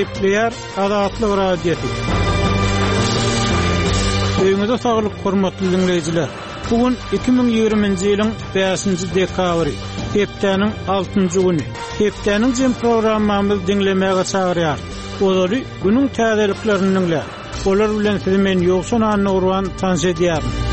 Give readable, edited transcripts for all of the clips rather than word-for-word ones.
Gepleýär Azatlyk Radiosy. Öýüňize saglyk, hormatly diňleýjiler! Bu gün 2020-nji ýylyň bäşinji dekabry, hepdäniň altynjy güni. Hepdäniň jem programmamyzy diňlemäge çagyrýarys. Ozaly günüň täzeliklerini diňläň. Olar bilen sizi men Ýowşan Annagurban tanyş edýärin.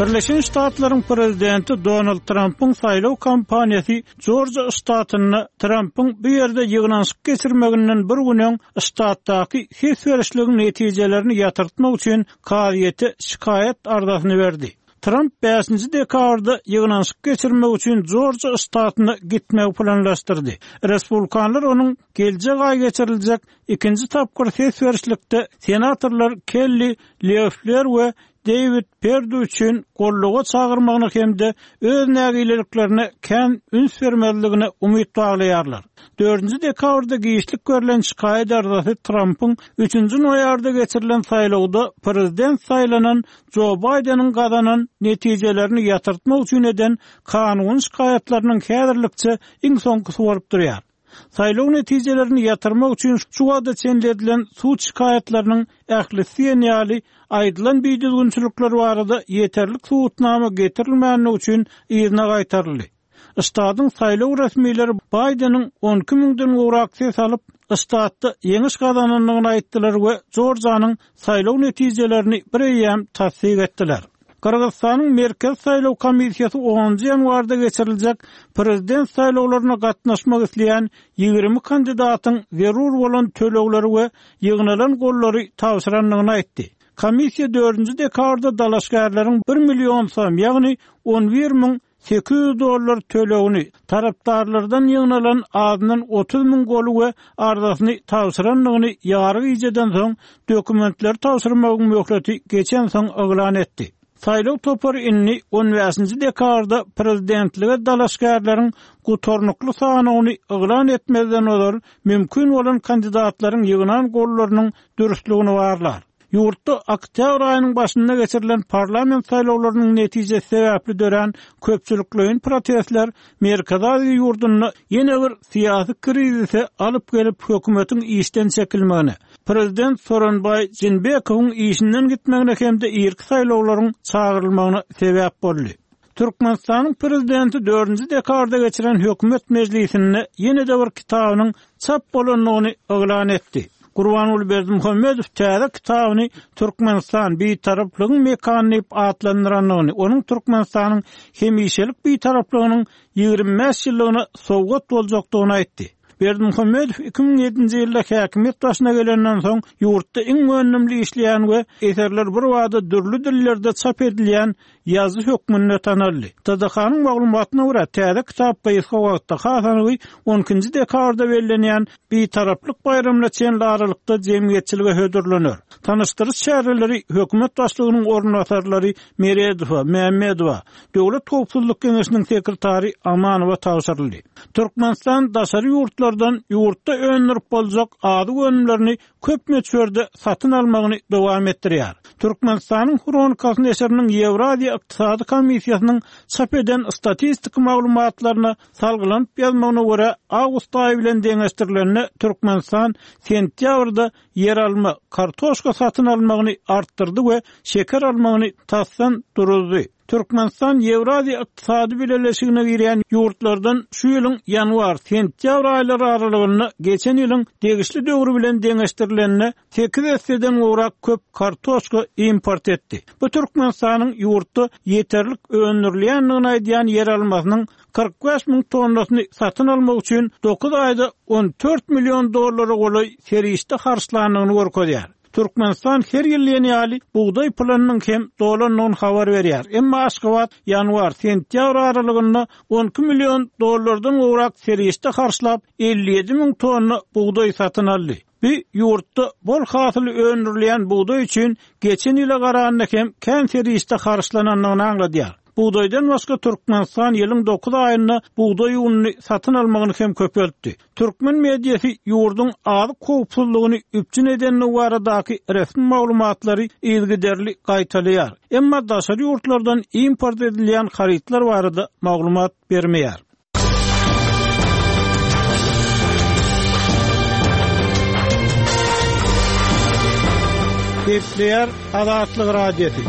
Birleşen Ştatlaryň prezidenti Donald Trampyň saýlaw kampaniýasy Jorjiýa ştatynda Trampyň bu ýerde ýygnanyşyk geçirmeginden bir gün öň ştatdaky ses berişligiň netijelerini ýatyrtmak üçin kazyýete şikaýat arzasyny berdi. Tramp bäşinji dekabrda ýygnanyşyk geçirmek üçin Jorjiýa ştatyna gitmegi planlaşdyrdy. Respublikanlar onuň geljek aý geçiriljek ikinji tapgyr ses berişlikde senatorlar Kelli Leffler we Deýwid Perdu üçin goldawa çagyrmagyna hem-de öz nägileliklerine kän üns bermezligine umyt baglaýarlar. Dördünji dekabrda giçlik berlen şikaýat arzasy Trampyň üçünji noýabrda geçirilen saýlawda prezident saýlanan Jo Baýdeniň gazanan netijelerini ýatyrtmak üçin eden kanuny şikaýatlarynyň häzirlikçe iň soňkusy bolup durýar. Saýlaw netijelerini ýatyrmak üçin şu wagta çenli edilen sud şikaýatlarynyň ählisi diýen ýaly aýdylan bidüzgünçilikler barada ýeterlik subutnama getirilmändigi üçin yzyna gaýtaryldy. Ştatyň saýlaw resmileri Baýdeniň 12 müňden gowrak ses alyp, ştatda ýeňiş gazanandygyny aýtdylar we Jorjanyň saýlaw netijelerini bireýýäm tassyk etdiler. Gyrgyzystanyň Merkezi saýlaw komissiýasy onunjy ýanwarda geçiriljek prezident saýlawlaryna gatnaşmak isleýän 20 kandidatyň zerur bolan tölegleri we ýygnalan gollary tabşyrandygyny aýtdy. Komissiýa dördünji dekabrda dalaşgärleriň bir million som, ýagny 11 800 dollar tölegini, tarapdarlardan ýygnalan azyndan 30 müň goly we arzasyny tabşyrandygyny ýary gijeden soň, dokumentleri tabşyrmagyň möhleti geçensoň yglan etdi. Saýlaw topary indi on bäşinji dekabrda prezidentlige dalaşgärleriň gutarnykly sanawyny yglan etmezden ozal mümkin bolan kandidatlaryň ýygnan gollarynyň dürslügini barlar. Ýurtda oktýabr aýynyň başynda geçirilen parlament saýlawlarynyň netijesi sebäpli dörän köpçülikleýin protestler Merkezi Aziýa ýurdunda ýene bir syýasy krizise alyp gelip, hökümetiň işden çekilmegine, prezident Soronbaý Jeenbekowyň işinden gitmegine hem-de irki saýlawlaryň çagyrylmagyna sebäp boldy. Türkmenistanyň prezidenti dördünji dekabrda geçiren hökümet mejlisinde ýene-de bir kitabynyň çap bolandygyny yglan etdi. Gurbanguly Berdimuhamedow täze kitabyny Türkmenistan, Bitaraplygyň mekany diýip atlandyrandygyny, onuň Türkmenistanyň hemişelik Bitaraplygynyň 25 ýyllygyna sowgat boljakdygyny aýtdy. Berdimuhamedow 2007-nji ýylda häkimiýet başyna gelenden soň ýurtda iň önümli işleýän we eserler birbada dürli dillerde çap edilýän ýazyjy hökmünde tanaldy. TDH-nyň maglumatyna görä, täze kitap gysga wagtda, has anygy, on ikinji dekabrda bellenýän Bitaraplyk baýramyna çenli aralykda jemgyýetçilige hödürlener. Tanyşdyryş çäreleri hökümet başlygynyň orunbasarlary Meredowa, Mämmedowa, Döwlet howpsuzlyk geňeşiniň sekretary Amanowa tabşyryldy. Türkmenistan daşary ýurtlardan ýurtda öndürip boljak azyk önümlerini köp möçberde satyn almagyny dowam etdirýär. Türkmenistanyň Hronikasy neşiriniň Ýewraziýa ykdysady komissiýasynyň çap eden statistiki maglumatlaryna salgylanyp ýazmagyna görä, awgust aýy bilen deňeşdirilende Türkmenistan sentýabrda ýeralma, kartoşka satyn almagyny artdyrdy we şeker almagyny tasdan duruzdy. Türkmenistan Ýewraziýa Ykdysady Bileleşigine girýän ýurtlardan şu ýylyň ýanwar, sentýabr aýlary aralygynda geçen ýylyň degişli döwri bilen deňeşdirilende sekiz esseden gowrak köp kartoşka import etdi. Bu Türkmenistanyň ýurtda ýeterlik öndürilýändigini aýdýan ýeralmasynyň 45 müň tonnasyny satyn almak üçin dokuz aýda 14 million dollara golaý serişde harçlandygyny görkezýär. Türkmenistan her ýyl diýen ýaly bugdaý planynyň hem dolandygyny habar berýär. Emma Aşgabat ýanwar, sentýabr aralygynda 12 million dollardan gowrak serişde harçlap, 57 müň tonna bugdaý satyn aldy. Bu ýurtda bol hasyl öndürilýän bugdaý üçin geçen ýyla garanda hem kän serişde harçlanandygyny aňladýar. Bugdaýdan başga Türkmenistan ýylyň dokuz aýynda bugdaý ununy satyn almagyny hem köpeltdi. Türkmen mediasy ýurduň azyk howpsuzlygyny üpjün edendigi baradaky resmi maglumatlary yzygiderli gaýtalaýar, emma daşary ýurtlardan import edilýän harytlar barada maglumat bermeýär. Gepleýär Azatlyk Radiosy.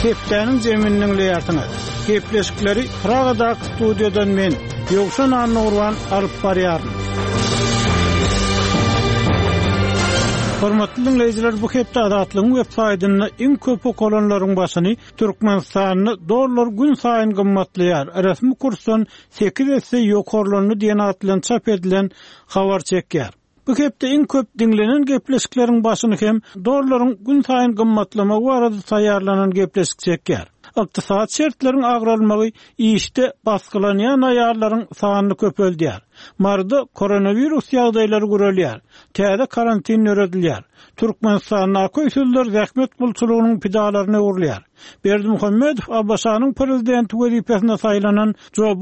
Hepdäniň jemini diňleýärsiňiz. Gepleşikleri Pragadaky studiýadan men, Ýowşan Annagurban alyp barýaryn. Hormatly diňleýjiler, bu hepde Azatlygyň web saýtynda iň köp okalanlaryň başyny Türkmenistanda dollar gün saýyn gymmatlaýar, resmi kursdan sekiz esse ýokarlandy diýen at bilen çap edilen habar çekýär. Bu hepde iň köp diňlenen gepleşikleriň başyny hem dollaryň günsaýyn gymmatlamagy barada taýýarlanan gepleşik çekýär. Ykdysady şertleriň agralmagy işde basgylanýan aýallaryň sanyny köpeldýär. Maryda koronawirus ýagdaýlary gürelýär. Täze karantin döredilýär. Türkmenistandaky öýsüzler zähmet gulçulygynyň pidalaryna öwrülýär. Berdimuhamedow ABŞ-nyň prezidenti wezipesine saýlanan Jo.